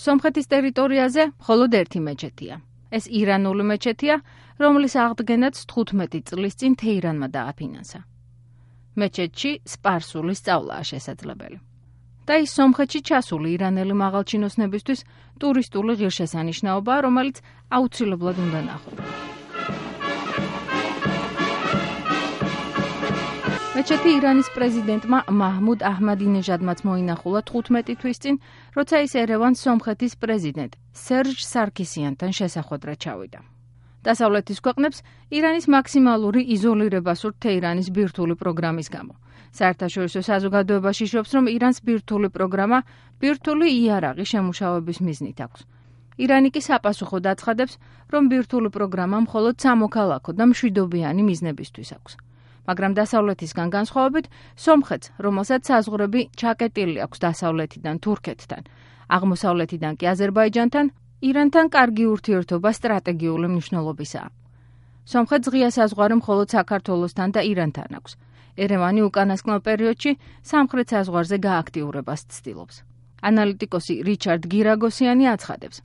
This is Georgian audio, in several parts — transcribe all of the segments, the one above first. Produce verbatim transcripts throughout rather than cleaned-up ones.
სომხეთის ტერიტორიაზე მხოლოდ ერთი მეჩეთია. ეს ირანული მეჩეთია, რომლის აღდგენაც თხუთმეტი წლის წინ თეირანმა დააფინანსა. მეჩეთში სპარსული სწავლაა შესაძლებელი. და ის სომხეთში ჩასული ირანელი მაღალჩინოსნებისთვის ტურისტული ღირსშესანიშნაობაა, რომელიც აუცილებლად უნდა ნახოთ. მეჩეთი ირანის პრეზიდენტმა მაჰმუდ აჰმადინეჟადმაც მოინახულა თხუთმეტი თვის წინ, როცა ის ერევანს სომხეთის პრეზიდენტ სერჟ სარქისიანთან შესახვედრად ჩავიდა. დასავლეთის ქვეყნებს ირანის მაქსიმალური იზოლირება სურთ თეირანის ბირთვული პროგრამის გამო. საერთაშორისო საზოგადოებაში იშობს, რომ ირანს ბირთვული პროგრამა ბირთვული იარაღი შემუშავების მიზნით აქვს. ირანი კი საპასუხოდ აცხადებს, რომ ბირთვული პროგრამა მხოლოდ სამოქალაქო და მშვიდობიანი მიზნებისთვის აქვს. მაგრამ დასავლეთისგან განსხვავებით, სომხეთს, რომელსაც საზღვრები ჩაკეტილი აქვს დასავლეთიდან თურქეთთან, აღმოსავლეთიდან კი აზერბაიჯანთან, ირანთან კარგი ურთიერთობა სტრატეგიული მნიშვნელობისაა. სომხეთს ღია საზღვარი მხოლოდ საქართველოსთან და ირანთან აქვს. ერევანი უკანასკნელ პერიოდში სამხრეთ საზღვარზე გააქტიურებას ცდილობს. ანალიტიკოსი რიჩარდ გირაგოსიანი აცხადებს.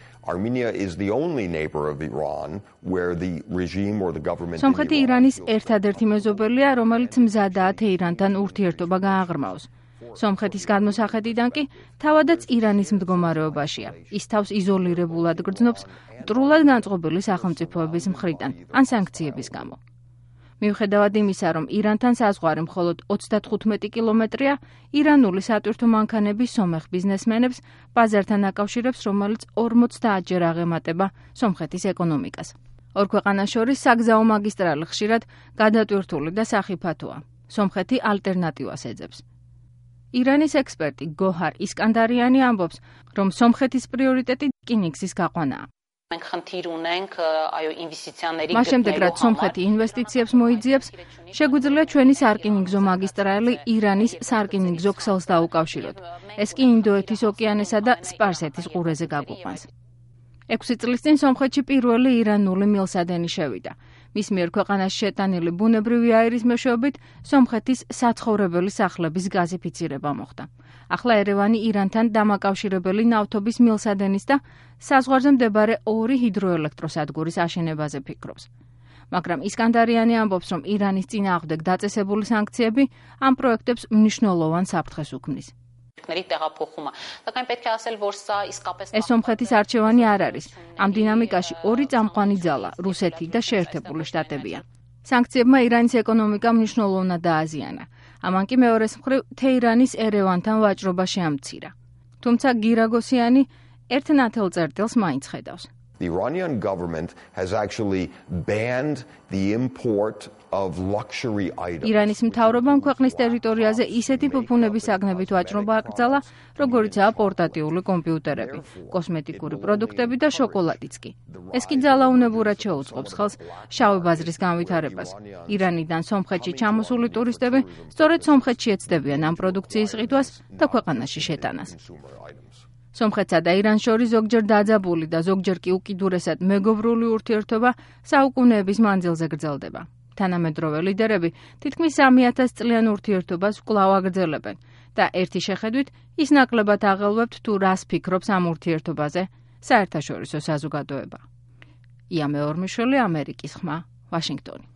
სომხეთი ირანის ერთადერთი მეზობელია, რომელიც მზადაა თეირანთან ურთიერთობა გააღრმაოს. სომხეთის გადმოსახედიდან კი თავადაც ირანის მდგომარეობაშია. ის თავს იზოლირებულად გრძნობს მტრულად განწყობილი სახელმწიფოების მხრიდან ან სანქციების გამო. მიუხედავად იმისა, რომ ირანთან საზღვარი მხოლოდ ოცდათხუთმეტი კილომეტრია, ირანული სატვირთო მანქანები სომეხ ბიზნესმენებს ბაზართან აკავშირებს, რომელიც ორმოცდაათჯერ აღემატება სომხეთის ეკონომიკას. ორ ქვეყანას შორის საგზაო მაგისტრალი ხშირად გადატვირთული და სახიფათოა. სომხეთი ალტერნატივას ეძებს. ირანის ექსპერტი გოჰარ ისკანდარიანი ამბობს, რომ სომხეთის პრიორიტეტი რკინიგზის გაყვანაა. მას შემდეგ, რაც სომხეთი ინვესტიციებს მოიძიებს, შეგვიძლია ჩვენი სარკინიგზო მაგისტრალი ირანის სარკინიგზო ქსელს დაუკავშიროთ. ეს კი ინდოეთის ოკეანესა და სპარსეთის ყურეზე გაგვიყვანს. ექვსი წლის წინ სომხეთში პირველი ირანული მილსადენი შევიდა. მის მიერ ქვეყანაში შეტანილი ბუნებრივი აირის მეშვეობით სომხეთის საცხოვრებელი სახლების გაზიფიცირება მოხდა. ახლა ერევანი ირანთან დამაკავშირებელი ნავთობის მილსადენის და საზღვარზე მდებარე ორი ჰიდროელექტროსადგურის აშენებაზე ფიქრობს. მაგრამ ისკანდარიანი ამბობს, რომ ირანის წინააღმდეგ დაწესებული სანქციები ამ პროექტებს მნიშვნელოვან საფრთხეს უქმნის. ეს სომხეთის არჩევანი არ არის. ამ დინამიკაში ორი წამყვანი ძალა, რუსეთი და შეერთებული შტატებია. სანქციებმა ირანის ეკონომიკა მნიშვნელოვნად დააზიანა. ამან კი მეორეს მხრივ თეირანის ერევანთან ვაჭრობა შეამცირა. თუმცა გირაგოსიანი ერთ ნათელწერტილს მაინც ხედავს. The Iranian government has actually banned the import of luxury items. ირანის მთავრობამ ქვეყნის ტერიტორიაზე ისეთი ფუფუნების საგნებით ვაჭრობა აკრძალა, როგორიცაა პორტატიული კომპიუტერები, კოსმეტიკური პროდუქტები და შოკოლადიც კი. ეს კი ძალაუნებურად შეუწყობს ხელს შავი ბაზრის განვითარებას. ირანიდან სომხეთში ჩამოსული ტურისტები სწორედ სომხეთში ეცდებიან ამ პროდუქციის ყიდვას და ქვეყანაში შეტანას. სომხეთსა და ირანს შორის ზოგჯერ დაძაბული და ზოგჯერ კი უკიდურესად მეგობრული ურთიერთობა საუკუნეების მანძილზე გრძელდება. თანამედროვე ლიდერები თითქმის სამი ათას წლიან ურთიერთობას კვლავ აგრძელებენ და ერთი შეხედვით ის ნაკლებად აღელვებთ თუ რას ფიქრობს ამ ურთიერთობაზე საერთაშორისო საზოგადოება. ია მეორმიშვილი, ამერიკის ხმა, ვაშინგტონი.